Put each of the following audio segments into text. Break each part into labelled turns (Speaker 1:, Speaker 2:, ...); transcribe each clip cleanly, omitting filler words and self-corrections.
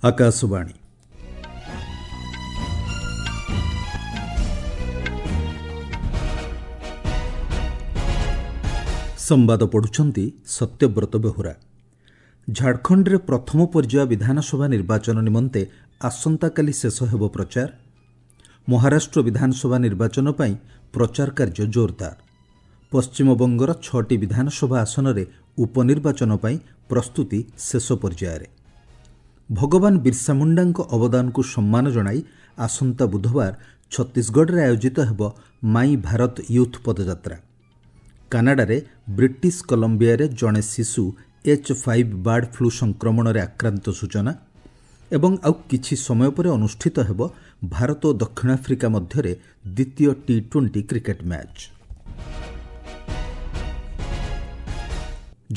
Speaker 1: ଆକାଶବାଣୀ। ସମ୍ବାଦ ପଢ଼ୁଛନ୍ତି ସତ୍ୟବ୍ରତ ବେହୁରା। ଝାଡ଼ଖଣ୍ଡରେ ପ୍ରଥମ ପର୍ଯ୍ୟାୟ ବିଧାନସଭା ନିର୍ବାଚନ ନିମନ୍ତେ ଆସନ୍ତାକାଲି ଶେଷ ହେବ ପ୍ରଚାର। ମହାରାଷ୍ଟ୍ର ବିଧାନସଭା ନିର୍ବାଚନ ପାଇଁ ପ୍ରଚାର କାର୍ଯ୍ୟ ଜୋରଦାର। ପଶ୍ଚିମବଙ୍ଗର 6ଟି ବିଧାନସଭା ଆସନରେ ଉପନିର୍ବାଚନ ପାଇଁ ପ୍ରସ୍ତୁତି ଶେଷ ପର୍ଯ୍ୟାୟରେ। ଭଗବାନ ବିର୍ସା ମୁଣ୍ଡାଙ୍କ ଅବଦାନକୁ ସମ୍ମାନ ଜଣାଇ ଆସନ୍ତା ବୁଧବାର ଛତିଶଗଡ଼ରେ ଆୟୋଜିତ ହେବ ମାଇ ଭାରତ ୟୁଥ୍ ପଦଯାତ୍ରା। କାନାଡାରେ ବ୍ରିଟିଶ କଲମ୍ବିଆରେ ଜଣେ ଶିଶୁ H5 bird flu ସଂକ୍ରମଣରେ ଆକ୍ରାନ୍ତ ସୂଚନା। ଏବଂ ଆଉ କିଛି ସମୟ ପରେ ଅନୁଷ୍ଠିତ ହେବ ଭାରତ ଓ ଦକ୍ଷିଣ ଆଫ୍ରିକା ମଧ୍ୟରେ ଦ୍ୱିତୀୟ ଟି-20 କ୍ରିକେଟ୍ ମ୍ୟାଚ୍।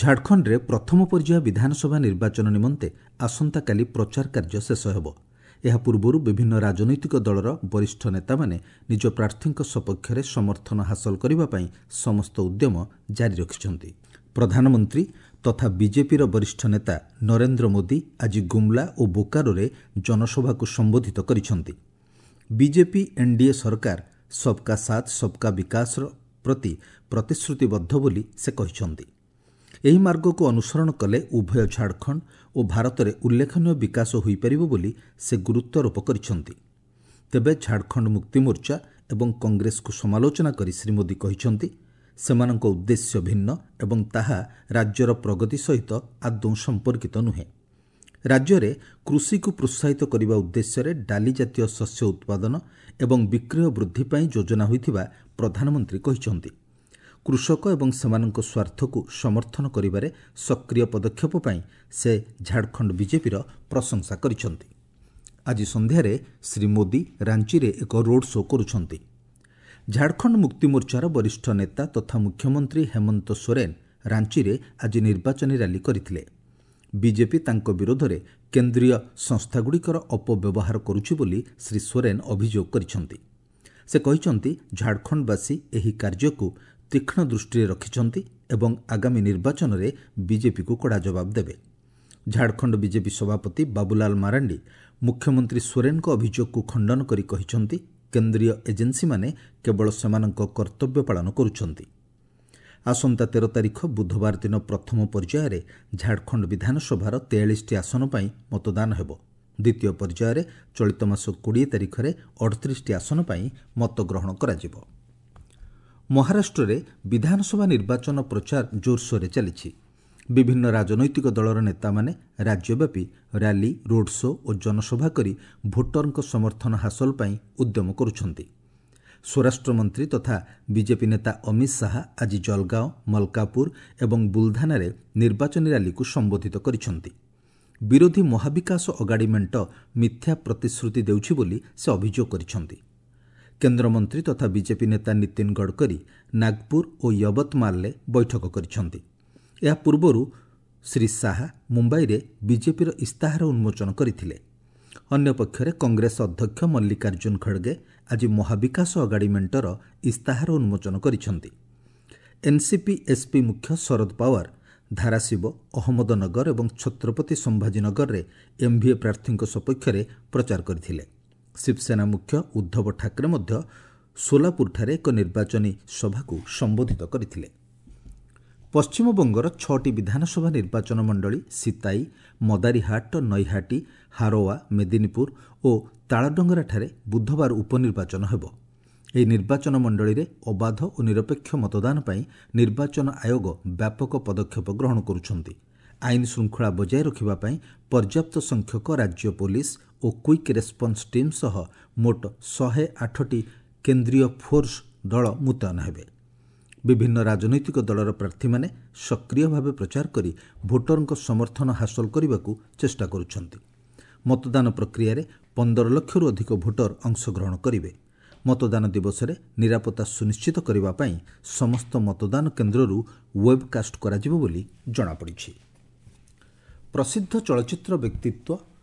Speaker 1: ଝାଡ଼ଖଣ୍ଡରେ ପ୍ରଥମ ପର୍ଯ୍ୟାୟ ବିଧାନସଭା ନିର୍ବାଚନ ନିମନ୍ତେ ଆସନ୍ତାକାଲି ପ୍ରଚାର କାର୍ଯ୍ୟ ଶେଷ ହେବ। ଏହା ପୂର୍ବରୁ ବିଭିନ୍ନ ରାଜନୈତିକ ଦଳର ବରିଷ୍ଠ ନେତାମାନେ ନିଜ ପ୍ରାର୍ଥୀଙ୍କ ସପକ୍ଷରେ ସମର୍ଥନ ହାସଲ କରିବା ପାଇଁ ସମସ୍ତ ଉଦ୍ୟମ ଜାରି ରଖିଛନ୍ତି। ପ୍ରଧାନମନ୍ତ୍ରୀ ତଥା ବିଜେପିର ବରିଷ୍ଠ ନେତା ନରେନ୍ଦ୍ର ମୋଦି ଆଜି ଗୁମ୍ଲା ଓ ବୋକାରୋରେ ଜନସଭାକୁ ସମ୍ବୋଧିତ କରିଛନ୍ତି। ବିଜେପି ଏନ୍ଡିଏ ସରକାର ସବ୍କା ସାଥ୍ ସବ୍କା ବିକାଶର ପ୍ରତି ପ୍ରତିଶ୍ରୁତିବଦ୍ଧ ବୋଲି ସେ କହିଛନ୍ତି। ଏହି ମାର୍ଗକୁ ଅନୁସରଣ କଲେ ଉଭୟ ଝାଡ଼ଖଣ୍ଡ ଓ ଭାରତରେ ଉଲ୍ଲେଖନୀୟ ବିକାଶ ହୋଇପାରିବ ବୋଲି ସେ ଗୁରୁତ୍ୱାରୋପ କରିଛନ୍ତି। ତେବେ ଝାଡ଼ଖଣ୍ଡ ମୁକ୍ତିମୋର୍ଚ୍ଚା ଏବଂ କଂଗ୍ରେସକୁ ସମାଲୋଚନା କରି ଶ୍ରୀ ମୋଦି କହିଛନ୍ତି, ସେମାନଙ୍କ ଉଦ୍ଦେଶ୍ୟ ଭିନ୍ନ ଏବଂ ତାହା ରାଜ୍ୟର ପ୍ରଗତି ସହିତ ଆଦୌ ସମ୍ପର୍କିତ ନୁହେଁ। ରାଜ୍ୟରେ କୃଷିକୁ ପ୍ରୋତ୍ସାହିତ କରିବା ଉଦ୍ଦେଶ୍ୟରେ ଡାଲି ଜାତୀୟ ଶସ୍ୟ ଉତ୍ପାଦନ ଏବଂ ବିକ୍ରୟ ବୃଦ୍ଧି ପାଇଁ ଯୋଜନା ହୋଇଥିବା ପ୍ରଧାନମନ୍ତ୍ରୀ କହିଛନ୍ତି। କୃଷକ ଏବଂ ସେମାନଙ୍କ ସ୍ୱାର୍ଥକୁ ସମର୍ଥନ କରିବାରେ ସକ୍ରିୟ ପଦକ୍ଷେପ ପାଇଁ ସେ ଝାଡ଼ଖଣ୍ଡ ବିଜେପିର ପ୍ରଶଂସା କରିଛନ୍ତି। ଆଜି ସନ୍ଧ୍ୟାରେ ଶ୍ରୀ ମୋଦି ରାଞ୍ଚିରେ ଏକ ରୋଡ୍ ଶୋ କରୁଛନ୍ତି। ଝାଡ଼ଖଣ୍ଡ ମୁକ୍ତିମୋର୍ଚ୍ଚାର ବରିଷ୍ଠ ନେତା ତଥା ମୁଖ୍ୟମନ୍ତ୍ରୀ ହେମନ୍ତ ସୋରେନ ରାଞ୍ଚିରେ ଆଜି ନିର୍ବାଚନୀ ରାଲି କରିଥିଲେ। ବିଜେପି ତାଙ୍କ ବିରୋଧରେ କେନ୍ଦ୍ରୀୟ ସଂସ୍ଥାଗୁଡ଼ିକର ଅପବ୍ୟବହାର କରୁଛି ବୋଲି ଶ୍ରୀ ସୋରେନ ଅଭିଯୋଗ କରିଛନ୍ତି। ସେ କହିଛନ୍ତି, ଝାଡ଼ଖଣ୍ଡବାସୀ ଏହି କାର୍ଯ୍ୟକୁ ତୀକ୍ଷ୍ଣ ଦୃଷ୍ଟିରେ ରଖିଛନ୍ତି ଏବଂ ଆଗାମୀ ନିର୍ବାଚନରେ ବିଜେପିକୁ କଡ଼ା ଜବାବ ଦେବେ। ଝାଡ଼ଖଣ୍ଡ ବିଜେପି ସଭାପତି ବାବୁଲାଲ ମାରାଣ୍ଡି ମୁଖ୍ୟମନ୍ତ୍ରୀ ସୋରେନଙ୍କ ଅଭିଯୋଗକୁ ଖଣ୍ଡନ କରି କହିଛନ୍ତି, କେନ୍ଦ୍ରୀୟ ଏଜେନ୍ସିମାନେ କେବଳ ସେମାନଙ୍କ କର୍ତ୍ତବ୍ୟ ପାଳନ କରୁଛନ୍ତି। ଆସନ୍ତା 13 ତାରିଖ ବୁଧବାର ଦିନ ପ୍ରଥମ ପର୍ଯ୍ୟାୟରେ ଝାଡ଼ଖଣ୍ଡ ବିଧାନସଭାର 43ଟି ଆସନ ପାଇଁ ମତଦାନ ହେବ। ଦ୍ୱିତୀୟ ପର୍ଯ୍ୟାୟରେ ଚଳିତ ମାସ 20 ତାରିଖରେ 38ଟି ଆସନ ପାଇଁ ମତଗ୍ରହଣ କରାଯିବ। ମହାରାଷ୍ଟ୍ରରେ ବିଧାନସଭା ନିର୍ବାଚନ ପ୍ରଚାର ଜୋରସୋରରେ ଚାଲିଛି। ବିଭିନ୍ନ ରାଜନୈତିକ ଦଳର ନେତାମାନେ ରାଜ୍ୟବ୍ୟାପୀ ରାଲି, ରୋଡ୍ ଶୋ ଓ ଜନସଭା କରି ଭୋଟରଙ୍କ ସମର୍ଥନ ହାସଲ ପାଇଁ ଉଦ୍ୟମ କରୁଛନ୍ତି। ସ୍ୱରାଷ୍ଟ୍ରମନ୍ତ୍ରୀ ତଥା ବିଜେପି ନେତା ଅମିତ ଶାହା ଆଜି ଜଲଗାଓଁ, ମଲକାପୁର ଏବଂ ବୁଲଧାନାରେ ନିର୍ବାଚନୀ ରାଲିକୁ ସମ୍ବୋଧିତ କରିଛନ୍ତି। ବିରୋଧୀ ମହାବିକାଶ ଅଗାଡ଼ି ମେଣ୍ଟ ମିଥ୍ୟା ପ୍ରତିଶ୍ରୁତି ଦେଉଛି ବୋଲି ସେ ଅଭିଯୋଗ କରିଛନ୍ତି। କେନ୍ଦ୍ରମନ୍ତ୍ରୀ ତଥା ବିଜେପି ନେତା ନୀତିନ ଗଡ଼କରୀ ନାଗପୁର ଓ ୟବତମାଲରେ ବୈଠକ କରିଛନ୍ତି। ଏହା ପୂର୍ବରୁ ଶ୍ରୀ ଶାହା ମୁମ୍ବାଇରେ ବିଜେପିର ଇସ୍ତାହାର ଉନ୍ମୋଚନ କରିଥିଲେ। ଅନ୍ୟପକ୍ଷରେ କଂଗ୍ରେସ ଅଧ୍ୟକ୍ଷ ମଲ୍ଲିକାର୍ଜୁନ ଖଡ଼ଗେ ଆଜି ମହାବିକାଶ ଅଗାଡ଼ି ମେଣ୍ଟର ଇସ୍ତାହାର ଉନ୍ମୋଚନ କରିଛନ୍ତି। ଏନ୍ସିପି ଏସ୍ପି ମୁଖ୍ୟ ଶରଦ ପାୱାର ଧାରାଶିବ, ଅହମ୍ମଦନଗର ଏବଂ ଛତ୍ରପତି ସମ୍ଭାଜୀନଗରରେ ଏମ୍ଭିଏ ପ୍ରାର୍ଥୀଙ୍କ ସପକ୍ଷରେ ପ୍ରଚାର କରିଥିଲେ। ଶିବସେନା ମୁଖ୍ୟ ଉଦ୍ଧବ ଠାକରେ ମଧ୍ୟ ସୋଲାପୁରଠାରେ ଏକ ନିର୍ବାଚନୀ ସଭାକୁ ସମ୍ବୋଧିତ କରିଥିଲେ। ପଶ୍ଚିମବଙ୍ଗର 6ଟି ବିଧାନସଭା ନିର୍ବାଚନ ମଣ୍ଡଳୀ ସିତାଇ, ମଦାରୀହାଟ, ନୈହାଟି, ହାରୋଆ, ମେଦିନୀପୁର ଓ ତାଳଡଙ୍ଗରାଠାରେ ବୁଧବାର ଉପନିର୍ବାଚନ ହେବ। ଏହି ନିର୍ବାଚନ ମଣ୍ଡଳୀରେ ଅବାଧ ଓ ନିରପେକ୍ଷ ମତଦାନ ପାଇଁ ନିର୍ବାଚନ ଆୟୋଗ ବ୍ୟାପକ ପଦକ୍ଷେପ ଗ୍ରହଣ କରୁଛନ୍ତି। ଆଇନ ଶୃଙ୍ଖଳା ବଜାୟ ରଖିବା ପାଇଁ ପର୍ଯ୍ୟାପ୍ତ ସଂଖ୍ୟକ ରାଜ୍ୟ ପୋଲିସ ଓ କ୍ୱିକ୍ ରେସ୍ପନ୍ସ ଟିମ୍ ସହ ମୋଟ 108ଟି କେନ୍ଦ୍ରୀୟ ଫୋର୍ସ ଦଳ ମୁତୟନ ହେବେ। ବିଭିନ୍ନ ରାଜନୈତିକ ଦଳର ପ୍ରାର୍ଥୀମାନେ ସକ୍ରିୟ ଭାବେ ପ୍ରଚାର କରି ଭୋଟରଙ୍କ ସମର୍ଥନ ହାସଲ କରିବାକୁ ଚେଷ୍ଟା କରୁଛନ୍ତି। ମତଦାନ ପ୍ରକ୍ରିୟାରେ 15 ଲକ୍ଷରୁ ଅଧିକ ଭୋଟର ଅଂଶଗ୍ରହଣ କରିବେ। ମତଦାନ ଦିବସରେ ନିରାପତ୍ତା ସୁନିଶ୍ଚିତ କରିବା ପାଇଁ ସମସ୍ତ ମତଦାନ କେନ୍ଦ୍ରରୁ ୱେବ୍କାଷ୍ଟ କରାଯିବ ବୋଲି ଜଣାପଡ଼ିଛି। ପ୍ରସିଦ୍ଧ ଚଳଚ୍ଚିତ୍ର ବ୍ୟକ୍ତିତ୍ୱ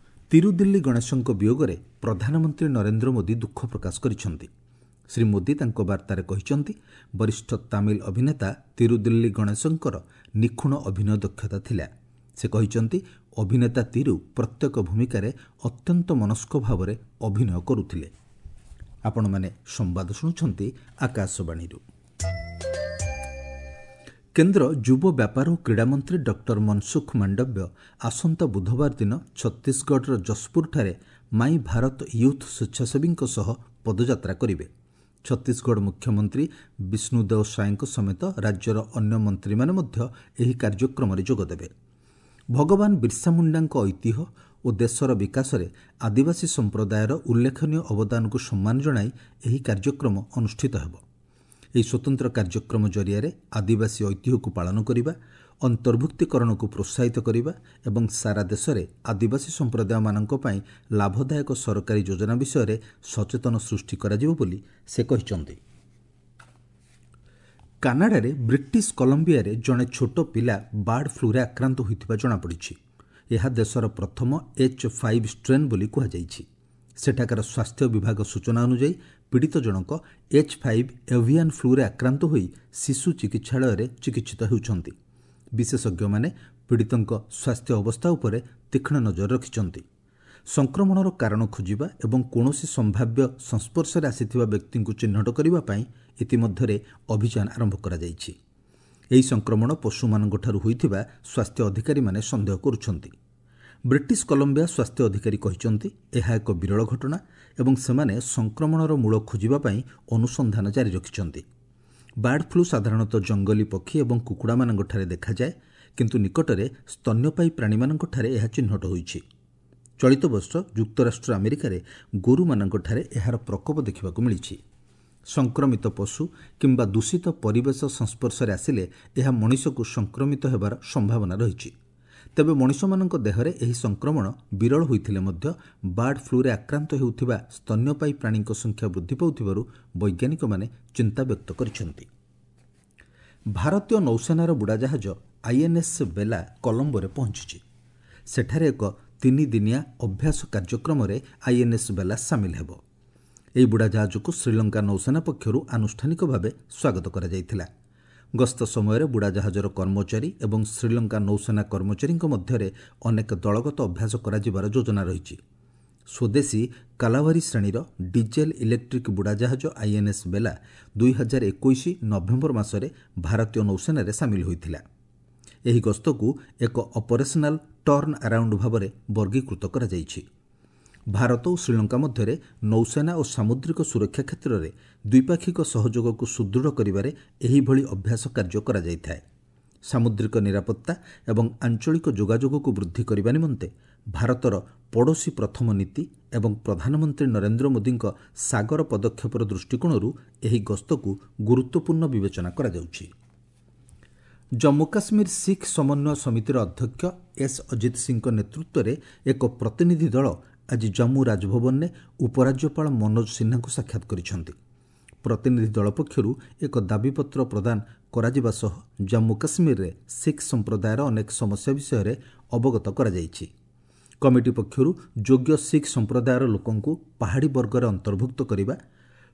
Speaker 1: ତିରୁଦିଲ୍ଲୀ ଗଣେଶଙ୍କ ବିୟୋଗରେ ପ୍ରଧାନମନ୍ତ୍ରୀ ନରେନ୍ଦ୍ର ମୋଦି ଦୁଃଖ ପ୍ରକାଶ କରିଛନ୍ତି। ଶ୍ରୀ ମୋଦି ତାଙ୍କ ବାର୍ତ୍ତାରେ କହିଛନ୍ତି, ବରିଷ୍ଠ ତାମିଲ ଅଭିନେତା ତିରୁଦିଲ୍ଲୀ ଗଣେଶଙ୍କର ନିଖୁଣ ଅଭିନୟ ଦକ୍ଷତା ଥିଲା। ସେ କହିଛନ୍ତି, ଅଭିନେତା ତିରୁ ପ୍ରତ୍ୟେକ ଭୂମିକାରେ ଅତ୍ୟନ୍ତ ମନସ୍କ ଭାବରେ ଅଭିନୟ କରୁଥିଲେ। ଆପଣମାନେ ସମ୍ବାଦ ଶୁଣୁଛନ୍ତି ଆକାଶବାଣୀରୁ। କେନ୍ଦ୍ର ଯୁବ ବ୍ୟାପାର ଓ କ୍ରୀଡ଼ାମନ୍ତ୍ରୀ ଡକ୍ଟର ମନସୁଖ ମାଣ୍ଡବ୍ୟ ଆସନ୍ତା ବୁଧବାର ଦିନ ଛତିଶଗଡ଼ର ଯଶପୁରଠାରେ ମାଇ ଭାରତ ୟୁଥ୍ ସ୍ୱେଚ୍ଛାସେବୀଙ୍କ ସହ ପଦଯାତ୍ରା କରିବେ। ଛତିଶଗଡ଼ ମୁଖ୍ୟମନ୍ତ୍ରୀ ବିଷ୍ଣୁଦେଓ ସାଏଙ୍କ ସମେତ ରାଜ୍ୟର ଅନ୍ୟ ମନ୍ତ୍ରୀମାନେ ମଧ୍ୟ ଏହି କାର୍ଯ୍ୟକ୍ରମରେ ଯୋଗଦେବେ। ଭଗବାନ ବିର୍ସା ମୁଣ୍ଡାଙ୍କ ଐତିହ୍ୟ ଓ ଦେଶର ବିକାଶରେ ଆଦିବାସୀ ସମ୍ପ୍ରଦାୟର ଉଲ୍ଲେଖନୀୟ ଅବଦାନକୁ ସମ୍ମାନ ଜଣାଇ ଏହି କାର୍ଯ୍ୟକ୍ରମ ଅନୁଷ୍ଠିତ ହେବ। ଏହି ସ୍ୱତନ୍ତ୍ର କାର୍ଯ୍ୟକ୍ରମ ଜରିଆରେ ଆଦିବାସୀ ଐତିହ୍ୟକୁ ପାଳନ କରିବା, ଅନ୍ତର୍ଭୁକ୍ତୀକରଣକୁ ପ୍ରୋତ୍ସାହିତ କରିବା ଏବଂ ସାରା ଦେଶରେ ଆଦିବାସୀ ସମ୍ପ୍ରଦାୟମାନଙ୍କ ପାଇଁ ଲାଭଦାୟକ ସରକାରୀ ଯୋଜନା ବିଷୟରେ ସଚେତନ ସୃଷ୍ଟି କରାଯିବ ବୋଲି ସେ କହିଛନ୍ତି। କାନାଡାରେ ବ୍ରିଟିଶ କଲମ୍ବିଆରେ ଜଣେ ଛୋଟ ପିଲା ବାର୍ଡ ଫ୍ଲୁରେ ଆକ୍ରାନ୍ତ ହୋଇଥିବା ଜଣାପଡ଼ିଛି। ଏହା ଦେଶର ପ୍ରଥମ H5 strain ବୋଲି କୁହାଯାଇଛି। ସେଠାକାର ସ୍ୱାସ୍ଥ୍ୟ ବିଭାଗ ସୂଚନା ଅନୁଯାୟୀ ପୀଡ଼ିତ ଜଣକ H5 avian ଫ୍ଲୁରେ ଆକ୍ରାନ୍ତ ହୋଇ ଶିଶୁ ଚିକିତ୍ସାଳୟରେ ଚିକିତ୍ସିତ ହେଉଛନ୍ତି। ବିଶେଷଜ୍ଞମାନେ ପୀଡ଼ିତଙ୍କ ସ୍ୱାସ୍ଥ୍ୟ ଅବସ୍ଥା ଉପରେ ତୀକ୍ଷ୍ଣ ନଜର ରଖିଛନ୍ତି। ସଂକ୍ରମଣର କାରଣ ଖୋଜିବା ଏବଂ କୌଣସି ସମ୍ଭାବ୍ୟ ସଂସ୍ପର୍ଶରେ ଆସିଥିବା ବ୍ୟକ୍ତିଙ୍କୁ ଚିହ୍ନଟ କରିବା ପାଇଁ ଇତିମଧ୍ୟରେ ଅଭିଯାନ ଆରମ୍ଭ କରାଯାଇଛି। ଏହି ସଂକ୍ରମଣ ପଶୁମାନଙ୍କଠାରୁ ହୋଇଥିବା ସ୍ୱାସ୍ଥ୍ୟ ଅଧିକାରୀମାନେ ସନ୍ଦେହ କରୁଛନ୍ତି। ବ୍ରିଟିଶ କଲମ୍ବିଆ ସ୍ୱାସ୍ଥ୍ୟ ଅଧିକାରୀ କହିଛନ୍ତି, ଏହା ଏକ ବିରଳ ଘଟଣା ଏବଂ ସେମାନେ ସଂକ୍ରମଣର ମୂଳ ଖୋଜିବା ପାଇଁ ଅନୁସନ୍ଧାନ ଜାରି ରଖିଛନ୍ତି। ବାର୍ଡ ଫ୍ଲୁ ସାଧାରଣତଃ ଜଙ୍ଗଲୀ ପକ୍ଷୀ ଏବଂ କୁକୁଡ଼ାମାନଙ୍କଠାରେ ଦେଖାଯାଏ, କିନ୍ତୁ ନିକଟରେ ସ୍ତନ୍ୟପାୟୀ ପ୍ରାଣୀମାନଙ୍କଠାରେ ଏହା ଚିହ୍ନଟ ହୋଇଛି। ଚଳିତ ବର୍ଷ ଯୁକ୍ତରାଷ୍ଟ୍ର ଆମେରିକାରେ ଗୋରୁମାନଙ୍କଠାରେ ଏହାର ପ୍ରକୋପ ଦେଖିବାକୁ ମିଳିଛି। ସଂକ୍ରମିତ ପଶୁ କିମ୍ବା ଦୂଷିତ ପରିବେଶ ସଂସ୍ପର୍ଶରେ ଆସିଲେ ଏହା ମଣିଷକୁ ସଂକ୍ରମିତ ହେବାର ସମ୍ଭାବନା ରହିଛି। ତେବେ ମଣିଷମାନଙ୍କ ଦେହରେ ଏହି ସଂକ୍ରମଣ ବିରଳ ହୋଇଥିଲେ ମଧ୍ୟ ବାର୍ଡ ଫ୍ଲୁରେ ଆକ୍ରାନ୍ତ ହେଉଥିବା ସ୍ତନ୍ୟପାୟୀ ପ୍ରାଣୀଙ୍କ ସଂଖ୍ୟା ବୃଦ୍ଧି ପାଉଥିବାରୁ ବୈଜ୍ଞାନିକମାନେ ଚିନ୍ତା ବ୍ୟକ୍ତ କରିଛନ୍ତି। ଭାରତୀୟ ନୌସେନାର ବୁଡ଼ାଜାହାଜ ଆଇଏନ୍ଏସ୍ ବେଲା କଲମ୍ବୋରେ ପହଞ୍ଚିଛି। ସେଠାରେ ଏକ 3 ଦିନିଆ ଅଭ୍ୟାସ କାର୍ଯ୍ୟକ୍ରମରେ ଆଇଏନ୍ଏସ୍ ବେଲା ସାମିଲ ହେବ। ଏହି ବୁଡ଼ାଜାହାଜକୁ ଶ୍ରୀଲଙ୍କା ନୌସେନା ପକ୍ଷରୁ ଆନୁଷ୍ଠାନିକ ଭାବେ ସ୍ୱାଗତ କରାଯାଇଥିଲା। ଗସ୍ତ ସମୟରେ ବୁଡ଼ାଜାହାଜର କର୍ମଚାରୀ ଏବଂ ଶ୍ରୀଲଙ୍କା ନୌସେନା କର୍ମଚାରୀଙ୍କ ମଧ୍ୟରେ ଅନେକ ଦଳଗତ ଅଭ୍ୟାସ କରାଯିବାର ଯୋଜନା ରହିଛି। ସ୍ୱଦେଶୀ କାଲାଭାରୀ ଶ୍ରେଣୀର ଡିଜେଲ୍ ଇଲେକ୍ଟ୍ରିକ୍ ବୁଡ଼ାଜାହାଜ ଆଇଏନ୍ଏସ୍ ବେଲା 2021 ନଭେମ୍ବର ମାସରେ ଭାରତୀୟ ନୌସେନାରେ ସାମିଲ ହୋଇଥିଲା। ଏହି ଗସ୍ତକୁ ଏକ ଅପରେସନାଲ୍ ଟର୍ଣ୍ଣ ଆରାଉଣ୍ଡ ଭାବରେ ବର୍ଗୀକୃତ କରାଯାଇଛି। ଭାରତ ଓ ଶ୍ରୀଲଙ୍କା ମଧ୍ୟରେ ନୌସେନା ଓ ସାମୁଦ୍ରିକ ସୁରକ୍ଷା କ୍ଷେତ୍ରରେ ଦ୍ୱିପାକ୍ଷିକ ସହଯୋଗକୁ ସୁଦୃଢ଼ କରିବାରେ ଏହିଭଳି ଅଭ୍ୟାସ କାର୍ଯ୍ୟ କରାଯାଇଥାଏ। ସାମୁଦ୍ରିକ ନିରାପତ୍ତା ଏବଂ ଆଞ୍ଚଳିକ ଯୋଗାଯୋଗକୁ ବୃଦ୍ଧି କରିବା ନିମନ୍ତେ ଭାରତର ପଡ଼ୋଶୀ ପ୍ରଥମ ନୀତି ଏବଂ ପ୍ରଧାନମନ୍ତ୍ରୀ ନରେନ୍ଦ୍ର ମୋଦିଙ୍କ ସାଗର ପଦକ୍ଷେପର ଦୃଷ୍ଟିକୋଣରୁ ଏହି ଗସ୍ତକୁ ଗୁରୁତ୍ୱପୂର୍ଣ୍ଣ ବିବେଚନା କରାଯାଉଛି। ଜମ୍ମୁ କାଶ୍ମୀର ଶିଖ୍ ସମନ୍ୱୟ ସମିତିର ଅଧ୍ୟକ୍ଷ ଏସ୍ ଅଜିତ ସିଂଙ୍କ ନେତୃତ୍ୱରେ ଏକ ପ୍ରତିନିଧି ଦଳ ଆଜି ଜମ୍ମୁ ରାଜଭବନରେ ଉପରାଜ୍ୟପାଳ ମନୋଜ ସିହ୍ନାଙ୍କୁ ସାକ୍ଷାତ କରିଛନ୍ତି। ପ୍ରତିନିଧି ଦଳ ପକ୍ଷରୁ ଏକ ଦାବିପତ୍ର ପ୍ରଦାନ କରାଯିବା ସହ ଜମ୍ମୁ କାଶ୍ମୀରରେ ଶିଖ୍ ସମ୍ପ୍ରଦାୟର ଅନେକ ସମସ୍ୟା ବିଷୟରେ ଅବଗତ କରାଯାଇଛି। କମିଟି ପକ୍ଷରୁ ଯୋଗ୍ୟ ଶିଖ୍ ସମ୍ପ୍ରଦାୟର ଲୋକଙ୍କୁ ପାହାଡ଼ି ବର୍ଗରେ ଅନ୍ତର୍ଭୁକ୍ତ କରିବା,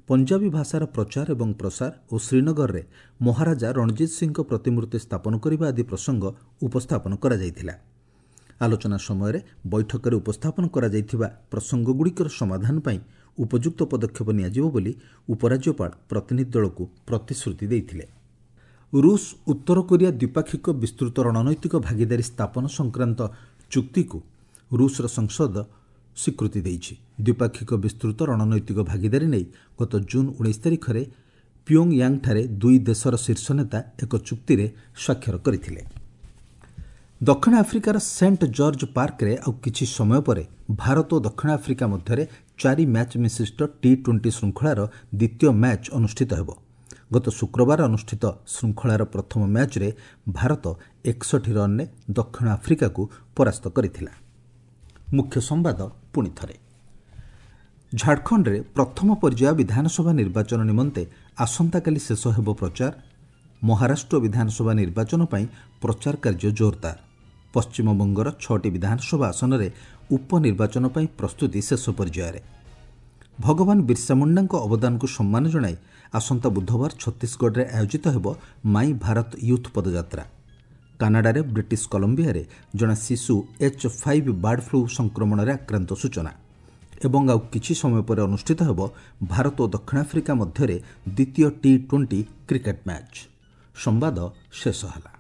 Speaker 1: ପଞ୍ଜାବୀ ଭାଷାର ପ୍ରଚାର ଏବଂ ପ୍ରସାର ଓ ଶ୍ରୀନଗରରେ ମହାରାଜା ରଣଜିତ ସିଂଙ୍କ ପ୍ରତିମୂର୍ତ୍ତି ସ୍ଥାପନ କରିବା ଆଦି ପ୍ରସଙ୍ଗ ଉପସ୍ଥାପନ କରାଯାଇଥିଲା। ଆଲୋଚନା ସମୟରେ ବୈଠକରେ ଉପସ୍ଥାପନ କରାଯାଇଥିବା ପ୍ରସଙ୍ଗଗୁଡ଼ିକର ସମାଧାନ ପାଇଁ ଉପଯୁକ୍ତ ପଦକ୍ଷେପ ନିଆଯିବ ବୋଲି ଉପରାଜ୍ୟପାଳ ପ୍ରତିନିଧି ଦଳକୁ ପ୍ରତିଶ୍ରୁତି ଦେଇଥିଲେ। ରୁଷ ଉତ୍ତର କୋରିଆ ଦ୍ୱିପାକ୍ଷିକ ବିସ୍ତୃତ ରଣନୈତିକ ଭାଗିଦାରୀ ସ୍ଥାପନ ସଂକ୍ରାନ୍ତ ଚୁକ୍ତିକୁ ରୁଷର ସଂସଦ ସ୍ୱୀକୃତି ଦେଇଛି। ଦ୍ୱିପାକ୍ଷିକ ବିସ୍ତୃତ ରଣନୈତିକ ଭାଗିଦାରୀ ନେଇ ଗତ ଜୁନ୍ 19 ତାରିଖରେ ପିଓଙ୍ଗୟାଙ୍ଗଠାରେ ଦୁଇ ଦେଶର ଶୀର୍ଷ ନେତା ଏକ ଚୁକ୍ତିରେ ସ୍ୱାକ୍ଷର କରିଥିଲେ। ଦକ୍ଷିଣ ଆଫ୍ରିକାର ସେଣ୍ଟ ଜର୍ଜ ପାର୍କରେ ଆଉ କିଛି ସମୟ ପରେ ଭାରତ ଓ ଦକ୍ଷିଣ ଆଫ୍ରିକା ମଧ୍ୟରେ 4 ମ୍ୟାଚ୍ ବିଶିଷ୍ଟ ଟି-20 ଶୃଙ୍ଖଳାର ଦ୍ୱିତୀୟ ମ୍ୟାଚ୍ ଅନୁଷ୍ଠିତ ହେବ। ଗତ ଶୁକ୍ରବାର ଅନୁଷ୍ଠିତ ଶୃଙ୍ଖଳାର ପ୍ରଥମ ମ୍ୟାଚ୍ରେ ଭାରତ 61 ରନ୍ରେ ଦକ୍ଷିଣ ଆଫ୍ରିକାକୁ ପରାସ୍ତ କରିଥିଲା। ମୁଖ୍ୟ ସମ୍ବାଦ ପୁଣି ଥରେ। ଝାଡ଼ଖଣ୍ଡରେ ପ୍ରଥମ ପର୍ଯ୍ୟାୟ ବିଧାନସଭା ନିର୍ବାଚନ ନିମନ୍ତେ ଆସନ୍ତାକାଲି ଶେଷ ହେବ ପ୍ରଚାର। ମହାରାଷ୍ଟ୍ର ବିଧାନସଭା ନିର୍ବାଚନ ପାଇଁ ପ୍ରଚାର କାର୍ଯ୍ୟ ଜୋରଦାର। ପଶ୍ଚିମବଙ୍ଗର 6ଟି ବିଧାନସଭା ଆସନରେ ଉପନିର୍ବାଚନ ପାଇଁ ପ୍ରସ୍ତୁତି ଶେଷ ପର୍ଯ୍ୟାୟରେ। ଭଗବାନ ବିର୍ସା ମୁଣ୍ଡାଙ୍କ ଅବଦାନକୁ ସମ୍ମାନ ଜଣାଇ ଆସନ୍ତା ବୁଧବାର ଛତିଶଗଡ଼ରେ ଆୟୋଜିତ ହେବ ମାଇ ଭାରତ ୟୁଥ୍ ପଦଯାତ୍ରା। କାନାଡାରେ ବ୍ରିଟିଶ କଲମ୍ବିଆରେ ଜଣେ ଶିଶୁ H5 bird flu ସଂକ୍ରମଣରେ ଆକ୍ରାନ୍ତ ସୂଚନା। ଏବଂ ଆଉ କିଛି ସମୟ ପରେ ଅନୁଷ୍ଠିତ ହେବ ଭାରତ ଓ ଦକ୍ଷିଣ ଆଫ୍ରିକା ମଧ୍ୟରେ ଦ୍ୱିତୀୟ ଟି-20 କ୍ରିକେଟ୍ ମ୍ୟାଚ୍। ସମ୍ବାଦ ଶେଷ ହେଲା।